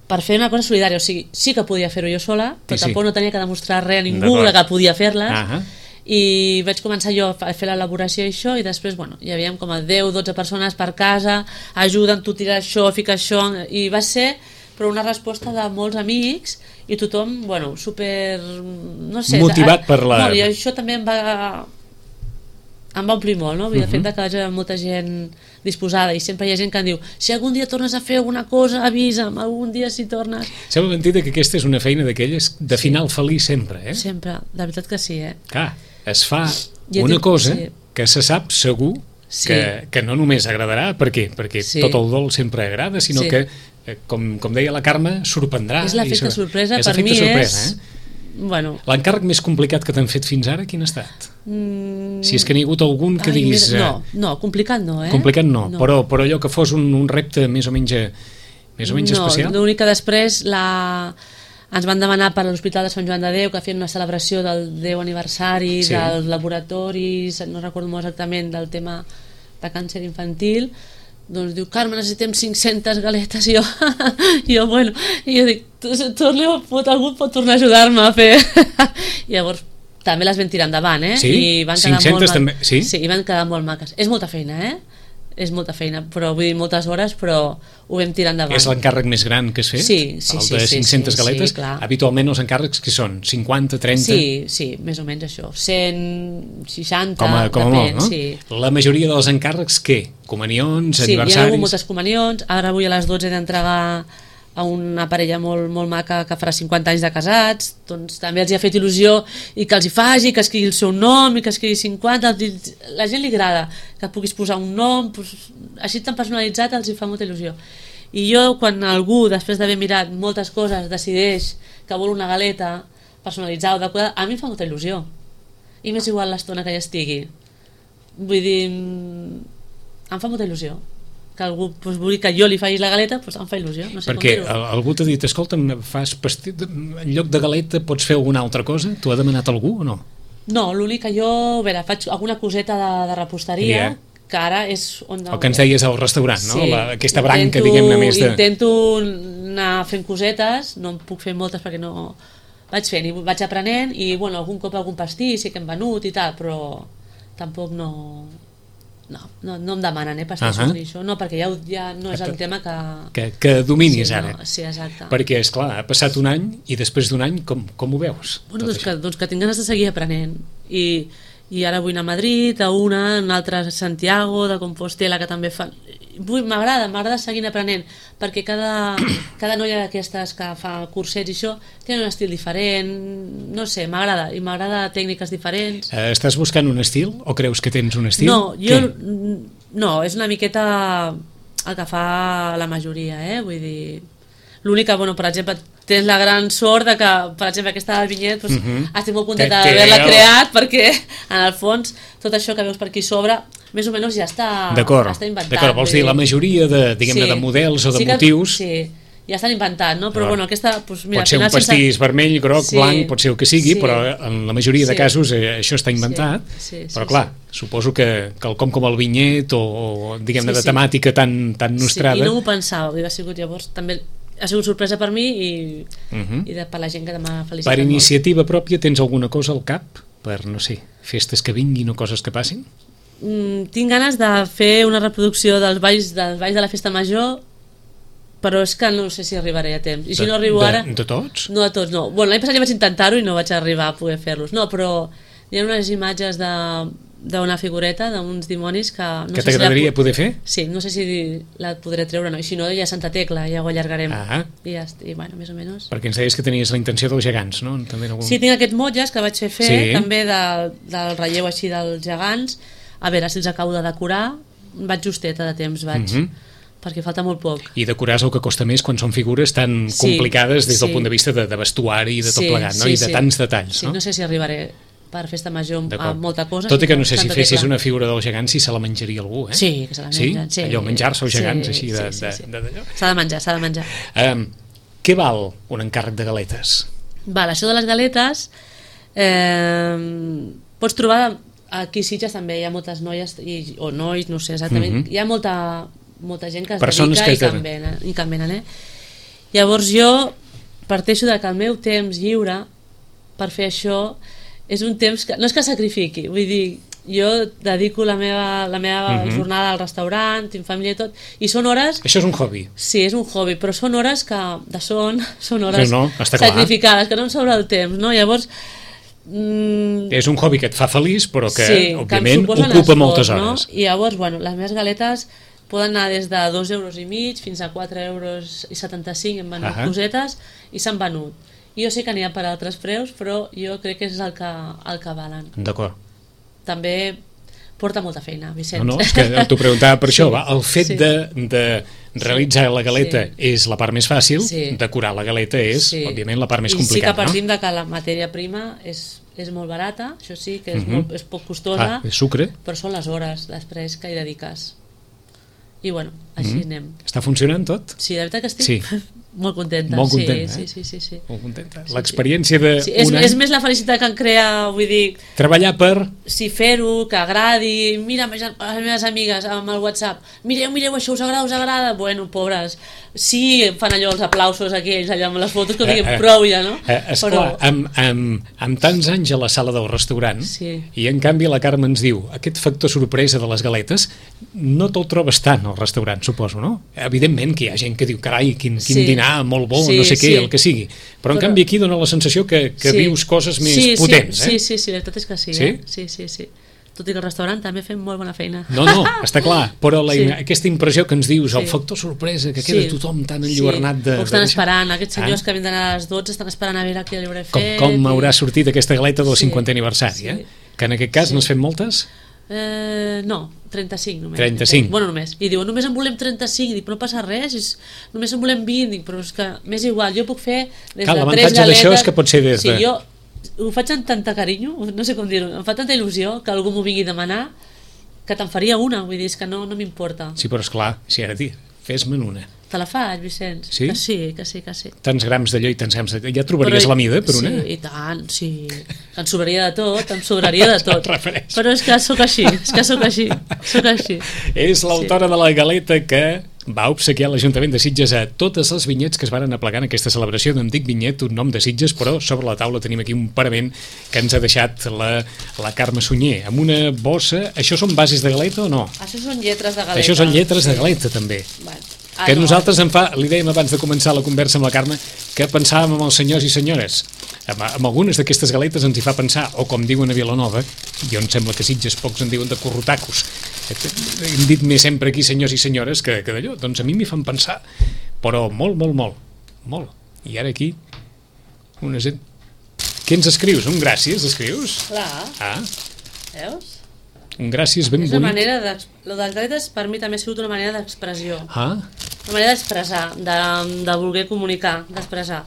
per fer una cosa solidària, o sigui, sí que podia fer-ho jo sola, però sí, tampoc sí. no tenia que demostrar res a ningú de que podia fer-les uh -huh. i vaig començar jo a fer l'elaboració i això, i després bueno, hi havia com a deu o dotze persones per casa, ajuda'm tu tirar això, fica això, i va ser però una resposta de molts amics i tothom, bueno, super no sé, motivat per la... Molt, i això també em va em va omplir molt, no? Vull dir, el fet que hi hagi molta gent disposada i sempre hi ha gent que em diu si algun dia tornes a fer alguna cosa avisa'm, algun dia si tornes... Sembla mentida que aquesta és una feina d'aquelles de final sí. feliç sempre, eh? Sempre, de veritat que sí, eh? Clar, es fa ja una dic, cosa sí. que se sap segur sí. que, que no només agradarà, per què? Perquè sí. tot el dol sempre agrada, sinó sí. que Com, com deia la Carme, sorprendrà. És l'efecte sorpresa, és per mi sorpresa, és... Eh? Bueno. L'encàrrec més complicat que t'han fet fins ara, quin ha estat? Mm... Si és que n'hi ha hagut algun que Ai, diguis... Mira, no, no, complicat no, eh? Complicat no, no. Però, però allò que fos un, un repte més o menys, més o menys no, especial? No, l'únic que després la... ens van demanar per l'Hospital de Sant Joan de Déu que feien una celebració del deu aniversari sí. dels laboratoris, no recordo molt exactament, del tema de càncer infantil. Doncs diu, Carme, necessitem cinc-centes galetes i jo, jo bueno i jo dic, torneu, pot, algú pot tornar a ajudar-me a fer i llavors també les vam tirar endavant, eh? Sí? I van quedar cinc-centes molt també? Sí? Sí, i van quedar molt maques, és molta feina, eh? És molta feina, però vull dir moltes hores, però ho vam tirar endavant. És l'encàrrec més gran que has fet? Sí, sí, sí. El de cinc-centes sí, galetes? Sí, clar. Habitualment els encàrrecs que són? cinquanta, trenta? Sí, sí, més o menys això. cent seixanta, com a, com a depèn, molt, no? Sí. La majoria dels encàrrecs, què? Comunions, sí, aniversaris? Sí, hi ha hagut moltes comunions. Ara avui a les dotze he d'entregar a una parella molt, molt maca que farà cinquanta anys de casats, doncs també els hi ha fet il·lusió i que els hi faci, que escrigui el seu nom i que escrigui cinquanta, la gent li agrada que puguis posar un nom, doncs, així tan personalitzat els hi fa molta il·lusió. I jo, quan algú, després d'haver mirat moltes coses, decideix que vol una galeta personalitzada o decorada, a mi em fa molta il·lusió. I m'és igual l'estona que hi estigui. Vull dir, em fa molta il·lusió. Que algú doncs, vulgui que jo li faci la galeta, doncs em fa il·lusió. No sé Perquè com algú t'ha dit, escolta'm, fas pastit, en lloc de galeta pots fer alguna altra cosa? T'ho ha demanat algú o no? No, l'únic que jo, a veure, faig alguna coseta de, de reposteria, yeah. que ara és on... El que ens deies al restaurant, no? Sí, La, aquesta branca, intento, diguem-ne, més de... Intento anar fent cosetes, no en puc fer moltes perquè no... Vaig fent i vaig aprenent i, bueno, algun cop algun pastís sí que hem venut i tal, però tampoc no... No, no, no em demanen, eh, pastissos uh -huh. ni això. No, perquè ja, ja no és el tema que... Que, que dominis sí, ara. No, sí, exacte. Perquè, esclar, ha passat un any i després d'un any com, com ho veus? Bueno, doncs que, doncs que tinc ganes de seguir aprenent. I, i ara vull anar a Madrid, a una, una altra a Santiago, de Compostela, que també fan... M'agrada, m'agrada seguir aprenent, perquè cada, cada noia d'aquestes que fa cursets i això té un estil diferent, no sé, m'agrada, i m'agrada tècniques diferents. Eh, estàs buscant un estil o creus que tens un estil? No, jo... Què? No, és una miqueta el que fa la majoria, eh? Vull dir... L'únic que, bueno, per exemple, tens la gran sort de que, per exemple, aquesta del vinyet, doncs, uh -huh. estic molt contenta d'haver-la creat, perquè, en el fons, tot això que veus per aquí sobre, més o menys ja està, està inventat. D'acord, vols dir, la majoria de, diguem-ne, sí. de models o de sí que, motius... Sí, ja estan inventats, no? Però, no. bueno, aquesta... Doncs, mira, pot ser un pastís sense... vermell, groc, sí. blanc, pot ser el que sigui, sí. però en la majoria de sí. casos eh, això està inventat. Sí. Sí, sí, però, clar, sí. suposo que quelcom com el vinyet o, o diguem-ne, sí, de temàtica sí. tan, tan nostrada... Sí, i no m'ho pensava, ha sigut llavors també... Ha sigut sorpresa per mi i, uh -huh. i de, per la gent que m'ha felicitat. Per iniciativa molt. Pròpia tens alguna cosa al cap? Per, no sé, festes que vinguin o coses que passin? Mm, tinc ganes de fer una reproducció dels balls, dels balls de la festa major, però és que no sé si arribaré a temps. I si de, no arribo de, ara... De tots? No de tots, no. Bueno, l'any passat ja vaig intentar-ho i no vaig arribar a poder fer-los. No, però hi ha unes imatges de... d'una figureta, d'uns dimonis que... No que sé t'agradaria si poder fer? Sí, no sé si la podré treure o no, i si no ja Santa Tecla, ja ho allargarem. Ah. I, ja, i bueno, més o menys. Perquè ens deies que tenies la intenció dels gegants, no? També en algun... Sí, tinc aquests motlles que vaig fer fer, sí. també de, del relleu així dels gegants, a veure si els acabo de decorar, vaig justeta de temps, vaig... Uh -huh. perquè falta molt poc. I decorar és el que costa més quan són figures tan sí, complicades des del sí. punt de vista de, de vestuari i de tot sí, plegat, no? Sí, I de sí. tants detalls, sí, no? no sé si arribaré per festa major a molta cosa. Tot i que no sé si fessis una figura del gegant si se la menjaria algú, eh? Sí, que se la mengen. Sí? sí? Allò, menjar-se els gegants, sí, així de... Sí, sí, sí. de, de, de s'ha de menjar, s'ha de menjar. Um, què val un encàrrec de galetes? Val, això de les galetes eh, pots trobar aquí a Sitges també hi ha moltes noies i, o nois, no sé exactament, uh -huh. hi ha molta, molta gent que es Persones dedica que i, que en venen, i que en venen, eh? Llavors jo parteixo de que el meu temps lliure per fer això és un temps que no és que sacrifiqui, vull dir, jo dedico la meva, la meva uh -huh. jornada al restaurant, tinc família i tot, i són hores... Això és un hobby. Sí, és un hobby, però són hores que de son, són hores no, no, sacrificades, que no em sobra el temps, no? Llavors... Mm, és un hobby que et fa feliç, però que, sí, òbviament, que ocupa esforç, moltes no? hores. I llavors, bueno, les meves galetes poden anar des de dos euros i mig fins a quatre euros i setanta-cinc, hem venut uh -huh. cosetes, i s'han venut. Jo sé que n'hi ha per altres preus, però jo crec que és el que, el que valen. D'acord. També porta molta feina, Vicenç. No, no, és que t'ho preguntava per sí, això. Va, el fet sí. de, de realitzar la galeta sí. és la part més fàcil, sí. decorar la galeta és, sí. òbviament, la part més I complicada. I sí que partim no? de que la matèria prima és, és molt barata, això sí, que és, uh -huh. molt, és poc costosa, ah, és sucre. Però són les hores després que hi dediques. I bueno, així uh -huh. anem. Està funcionant tot? Sí, de veritat que estic sí. molt contenta. Molt contenta, sí, eh? sí, sí, sí. Molt contenta. Sí, l'experiència de sí. És, un any... és més la felicitat que em crea, vull dir... Treballar per... Sí, fer-ho, que agradi, mira a les meves amigues amb el WhatsApp, mireu, mireu això, us agrada, us agrada? Bueno, pobres, sí, fan allò els aplausos aquells, allà amb les fotos, que diguem, eh, eh, prou ja, no? Eh, esclar, Però... amb, amb, amb tants anys a la sala del restaurant, sí. i en canvi la Carme ens diu, aquest factor sorpresa de les galetes, no te'l trobes tant al restaurant, suposo, no? Evidentment que hi ha gent que diu, carai, quin, quin sí. dinar molt bo, sí, no sé què, sí. el que sigui, però, però en canvi aquí dona la sensació que, que sí. vius coses més sí, potents, sí, eh? Sí, sí, sí, la veritat és que sí, sí? Eh? Sí, sí, sí. Tot i que el restaurant també fem molt bona feina. No, no, està clar, però la, sí. aquesta impressió que ens dius, sí. el factor sorpresa, que queda sí. tothom tan enlluernat de... Sí. O estan de esperant, aquests senyors ah. que vindran a les dotze estan esperant a veure què li hauré fet. Com, com i... haurà sortit aquesta galeta del sí. cinquantè aniversari, sí. eh? Que en aquest cas sí. n'has fet moltes? Eh, no, trenta-cinc només. trenta-cinc. Bueno, només. I diuen, només en volem trenta-cinc. Dic, però no passa res, és... només en volem vint. Dic, però és que m'és igual, jo puc fer des Clar, de tres l'avantatge galetes... d'això és que pot ser des sí, de... jo ho faig amb tanta carinyo, no sé com dir-ho, em fa tanta il·lusió que algú m'ho vingui a demanar que te'n faria una, vull dir, és que no, no m'importa. Sí, però esclar, si ara dir, fes-me'n una. Te la faig, Vicenç? Sí? Que sí, que sí, que sí. Tants grams d'allò i tants grams de... Ja trobaries Però, la mida per una? Sí, i tant, sí. Em sobraria de tot, em sobraria de tot. Refereix. Però és que sóc així, és que sóc així, sóc així. És l'autora sí. de la galeta que va obsequiar l'Ajuntament de Sitges a totes les vinyets que es varen aplegar en aquesta celebració. No em dic vinyet, un nom de Sitges, però sobre la taula tenim aquí un parament que ens ha deixat la, la Carme Sunyer, amb una bossa... Això són bases de galeta o no? Això són lletres de galeta. Això són lletres sí. de galeta, també. Bueno. Ah, que no. Nosaltres en fa, li dèiem abans de començar la conversa amb la Carme, que pensàvem amb els senyors i senyores. Amb, amb algunes d'aquestes galetes ens hi fa pensar, o com diuen a Vilanova, jo em sembla que Sitges pocs en diuen de corrotacos. Hem dit més sempre aquí senyors i senyores que, que d'allò, doncs a mi m'hi fan pensar, però molt, molt, molt, molt. I ara aquí, una gent... Què ens escrius? Un gràcies, escrius? Clar. Ah. Veus? Un gràcies ben és bonic. una manera de... Lo de les galetes per mi també ha sigut una manera d'expressió. Ah. Una manera d'expressar, de, de voler comunicar, d'expressar.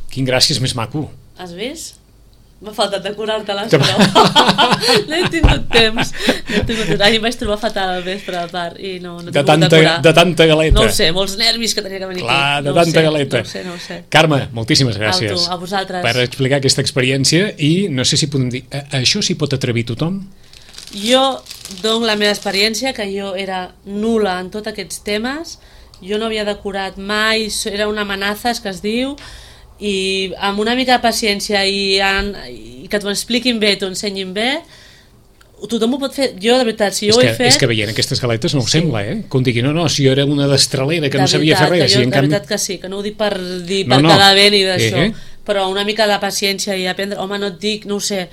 Quin gràcies més maco. Has vist? M'ha faltat decorar-te-les, però no he tingut temps. No he tingut temps. Ahir vaig trobar fatal al vespre a part i no, no he de tingut tanta, decorar. de tanta galeta. No ho sé, molts nervis que tenia que venir Clar, aquí. de no tanta sé, galeta. No ho sé, no ho sé. Carme, moltíssimes gràcies. A tu, a vosaltres. Per explicar aquesta experiència i no sé si podem dir, això s'hi pot atrevir tothom? Jo dono la meva experiència, que jo era nul·la en tots aquests temes, jo no havia decorat mai, era una amenaça que es diu, i amb una mica de paciència i, en, i que t'ho expliquin bé, t'ho ensenyin bé, tothom ho pot fer. Jo, de veritat, si jo és ho que, he fet... És que veient aquestes galetes no ho sí. sembla, eh? Com digui, no, no, si jo era una destralera que de no sabia veritat, fer res. Jo, si en de canvi... veritat que sí, que no ho dic per, dir, no, per no. quedar bé ni d'això, eh? però una mica de paciència i aprendre... Home, no et dic, no ho sé,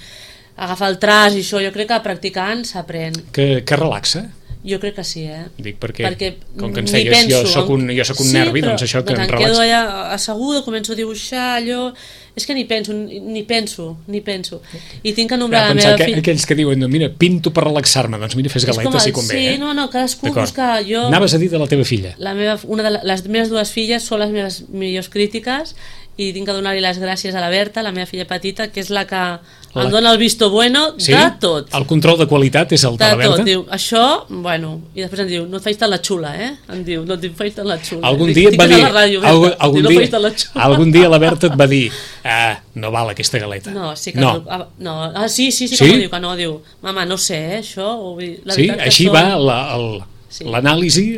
agafar el traç i això, jo crec que practicant s'aprèn. Que, que relaxa? Jo crec que sí, eh? Dic perquè, perquè com que ens deies, penso, jo soc un, jo soc un sí, nervi, però, doncs això que doncs em em relaxa. quedo allà asseguda, començo a dibuixar allò... És que ni penso, ni penso, ni penso. I tinc que nombrar la meva filla... Aquells que diuen, no, mira, pinto per relaxar-me, doncs mira, fes galetes si convé. Sí, eh? no, no, cadascú busca... Jo, anaves a dir de la teva filla. La meva, una de les meves dues filles són les meves millors crítiques i tinc que donar-li les gràcies a la Berta, la meva filla petita, que és la que la... em dona el visto bueno sí? de tot. El control de qualitat és el de, de la Berta? De tot, diu, això, bueno, i després em diu, no et faig tant la xula, eh? Em diu, no et faig tant la xula. Algun Dic, dia et va dir, ràdio, algun, algun, diu, dia, no algun dia la Berta et va dir, ah, no val aquesta galeta. No, sí que no. no. no. Ah, sí, sí, sí, sí? que m'ho diu, que no, diu, mama, no sé, eh, això, o, la sí, així són... va la, el... Sí. L'anàlisi,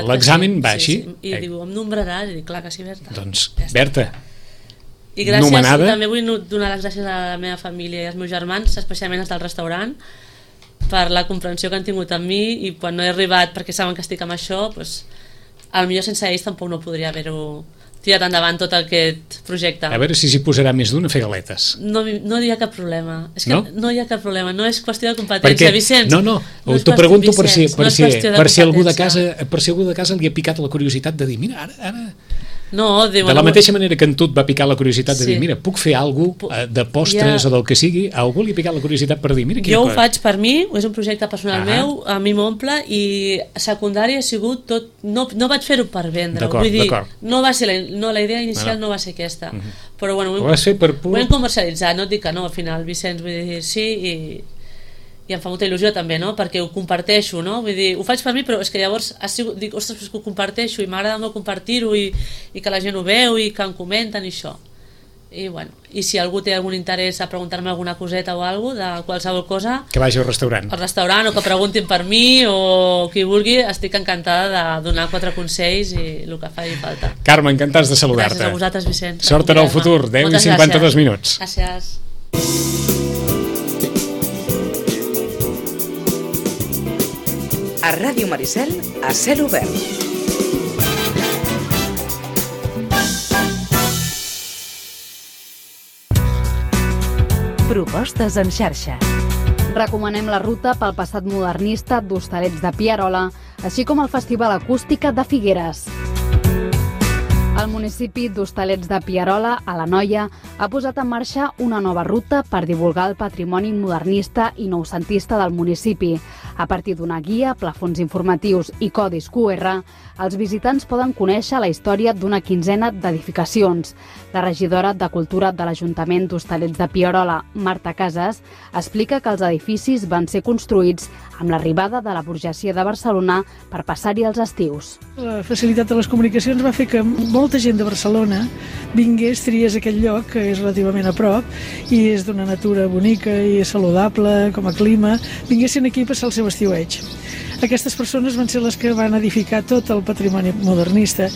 l'examen sí, va sí, així. Sí. I eh. diu, em nombraràs? I dic, clar que sí, Berta. Doncs, ja Berta, i gràcies, nomenada. També vull donar les gràcies a la meva família i als meus germans, especialment els del restaurant, per la comprensió que han tingut amb mi i quan no he arribat, perquè saben que estic amb això, doncs, potser sense ells tampoc no podria haver-ho tirat endavant tot aquest projecte. A veure si s'hi posarà més d'un a fer galetes. No, no hi ha cap problema. És que no? no hi ha cap problema, no és qüestió de competència, perquè, Vicenç. No, no, no t'ho pregunto per si, per, no si, per, si algú de casa, per si algú de casa li ha picat la curiositat de dir, mira, ara... ara... No, diu, de la mateixa manera que en tu et va picar la curiositat de sí. dir, mira, puc fer alguna cosa de postres ja. o del que sigui, a algú li ha picat la curiositat per dir, mira quina jo cosa. ho faig per mi, és un projecte personal ah. meu, a mi m'omple i secundari ha sigut tot, no, no vaig fer-ho per vendre, vull dir, no va ser la, no, la idea inicial no, no. no va ser aquesta, uh -huh. però bueno, ho, ho, vas fer per pur... ho hem comercialitzat, no et dic que no, al final, Vicenç, vull dir, sí, i... i em fa molta il·lusió també, no? Perquè ho comparteixo, no? Vull dir, ho faig per mi, però és que llavors ha sigut, dic, ostres, que ho comparteixo i m'agrada molt compartir-ho i, i que la gent ho veu i que em comenten i això. I bueno, i si algú té algun interès a preguntar-me alguna coseta o alguna cosa, de qualsevol cosa... Que vagi al restaurant. Al restaurant, o que preguntin per mi, o qui vulgui, estic encantada de donar quatre consells i el que faci falta. Carme, encantats de saludar-te. Gràcies a vosaltres, Vicent. Sort en el futur, deu i cinquanta-dos minuts. Gràcies. A Ràdio Maricel, a cel obert. Propostes en xarxa. Recomanem la ruta pel passat modernista d'Hostalets de Pierola, així com el Festival Acústica de Figueres. El municipi d'Hostalets de Pierola, a l'Anoia, ha posat en marxa una nova ruta per divulgar el patrimoni modernista i noucentista del municipi. A partir d'una guia, plafons informatius i codis cu erre, els visitants poden conèixer la història d'una quinzena d'edificacions. La regidora de Cultura de l'Ajuntament d'Hostalets de Pierola, Marta Casas, explica que els edificis van ser construïts amb l'arribada de la burgesia de Barcelona per passar-hi els estius. La facilitat de les comunicacions va fer que molta gent de Barcelona vingués, triés aquest lloc, que és relativament a prop, i és d'una natura bonica i saludable, com a clima, vinguessin aquí a passar el seu estiueig. Aquestes persones van ser les que van edificar tot el patrimoni modernista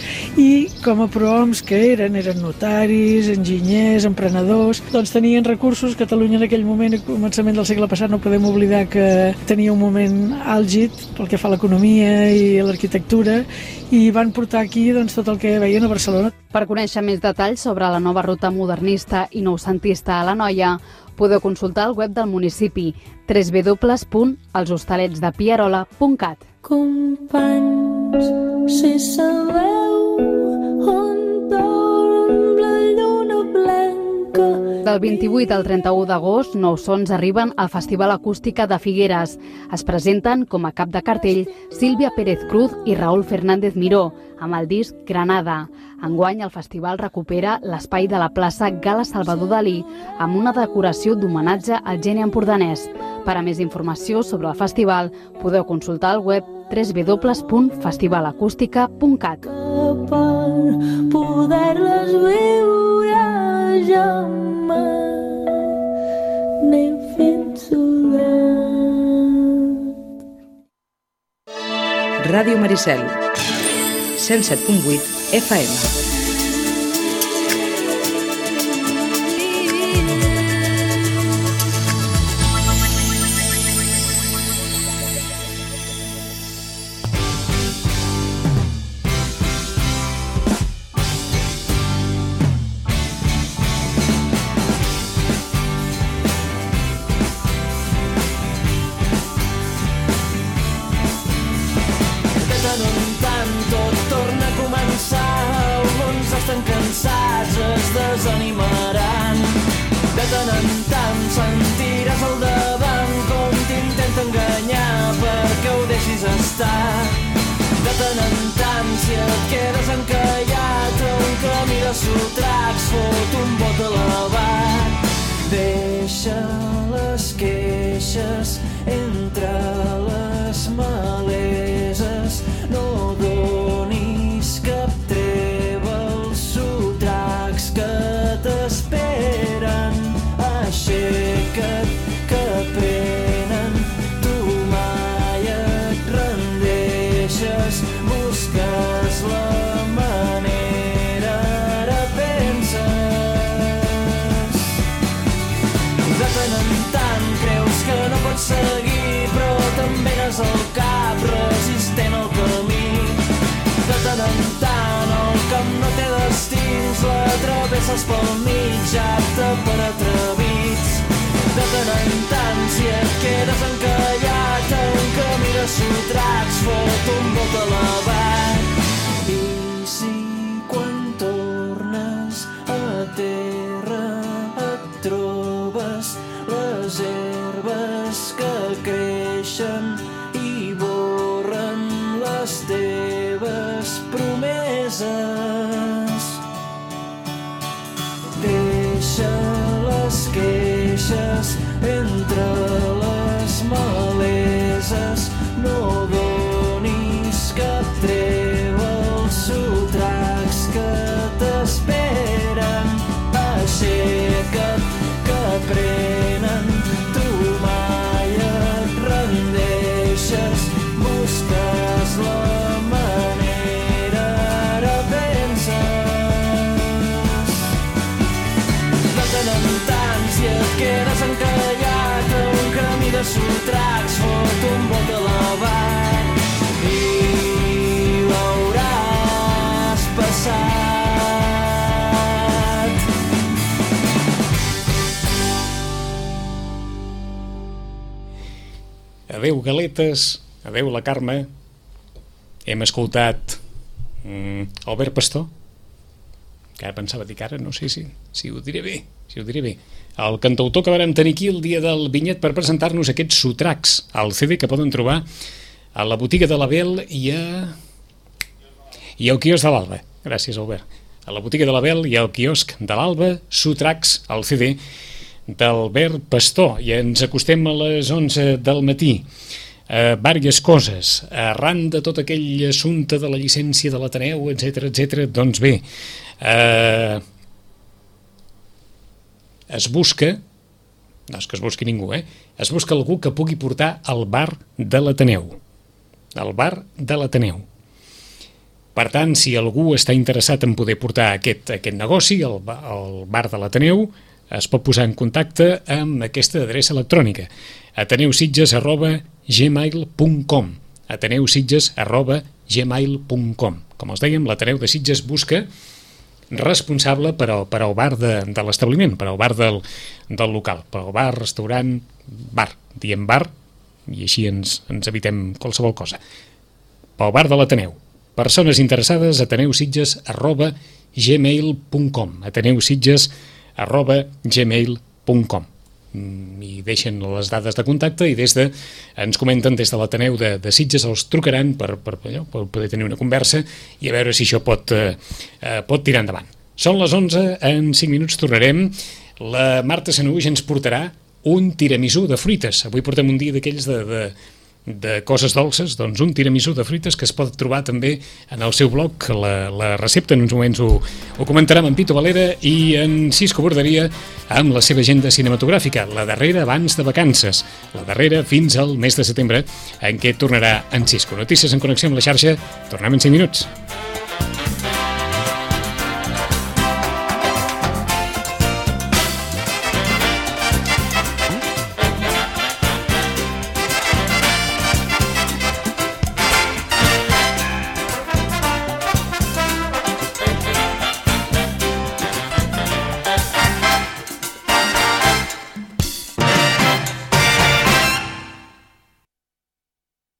i com a prohoms que eren, eren notaris, enginyers, emprenedors, doncs tenien recursos. Catalunya en aquell moment, a començament del segle passat, no podem oblidar que tenia un moment àlgid pel que fa a l'economia i a l'arquitectura, i van portar aquí doncs, tot el que veien a Barcelona. Per conèixer més detalls sobre la nova ruta modernista i noucentista a l'Anoia, podeu consultar el web del municipi w w w punt els hostalets de pierola punt cat. Companys, si sabeu on dorm la lluna blanca. Del vint-i-vuit al trenta-u d'agost, Nous Sons arriben al Festival Acústica de Figueres. Es presenten com a cap de cartell Sílvia Pérez Cruz i Raúl Fernández Miró, amb el disc Granada. Enguany el festival recupera l'espai de la plaça Gala Salvador Dalí amb una decoració d'homenatge al geni empordanès. Per a més informació sobre el festival podeu consultar el web w w w punt festival acústica punt cat. Per poder-les viure jamai n'he fet solet. Ràdio Maricel, cent set punt vuit F M. Desanimaran. De tant en tant sentiràs al davant com t'intenta enganyar perquè ho deixis estar. De tant en tant si et quedes encallat a un camí de sotracs, fot un bot elevat. Deixa les queixes entre les maleses, no donis cap treva als sotracs que t'esperen. Aixeca't, que prenen, tu mai et rendeixes, busques la manera, ara penses. De tant en tant creus que no pots seguir, però també n'has el cap resistent al camí. De tant en tant el camp no té destins, la travesses pel mig, apte per atrevits. De tant en tant si et quedes encallat a un camí de sotracs, fot un bot elevat. I si quan tornes a terra et trobes les herbes que creixen i borren les teves promeses. Deixa les queixes entre les maleses, no donis cap treva als sotracs que t'esperen. Aixeca't, que prenen, tu mai et rendeixes, busques la manera, ara penses. De tant en tant si et quedes encallat a un camí de sotracs, fot un bot elevat i l'hauràs passat. Adéu, galetes, adéu, la Carme. Hem escoltat mm, Albert Pastor, que ara pensava dir que ara no sé si, si ho diré bé, si ho diré bé. El cantautor que vam tenir aquí el dia del Vinyet per presentar-nos aquests sotracs, el C D que poden trobar a la botiga de l'Abel i a... i al quiosc de l'Alba. Gràcies, Albert. A la botiga de l'Abel i al quiosc de l'Alba, sotracs, el C D d'Albert Pastor. I ens acostem a les onze del matí. Uh, vàries coses arran de tot aquell assumpte de la llicència de l'Ateneu, etc etc. Doncs bé, uh, es busca, no és que es busqui ningú, eh? Es busca algú que pugui portar al bar de l'Ateneu, el bar de l'Ateneu. Per tant, si algú està interessat en poder portar aquest, aquest negoci, el, el bar de l'Ateneu, es pot posar en contacte amb aquesta adreça electrònica, ateneusitges arroba gmail punt com, ateneusitges arroba gmail punt com. Com els dèiem, l'Ateneu de Sitges busca responsable per al, per al bar de, de l'establiment, per al bar del, del local, per al bar, restaurant, bar, diem bar, i així ens, ens evitem qualsevol cosa. Pel bar de l'Ateneu. Persones interessades, ateneusitges arroba gmail punt com, ateneusitges arroba gmail punt com. I deixen les dades de contacte i des de, ens comenten des de l'Ateneu de, de Sitges, els trucaran per, per, allò, per poder tenir una conversa i a veure si això pot, eh, pot tirar endavant. Són les onze, en cinc minuts tornarem. La Marta Sanaúja ens portarà un tiramisú de fruites. Avui portem un dia d'aquells de, de, de coses dolces, doncs un tiramisú de fruites que es pot trobar també en el seu blog. La, la recepta en uns moments ho, ho comentarà amb en Pito Valera i en Cisco Borderia amb la seva agenda cinematogràfica, la darrera abans de vacances, la darrera fins al mes de setembre en què tornarà en Cisco. Notícies en connexió amb la xarxa, tornem en cinc minuts.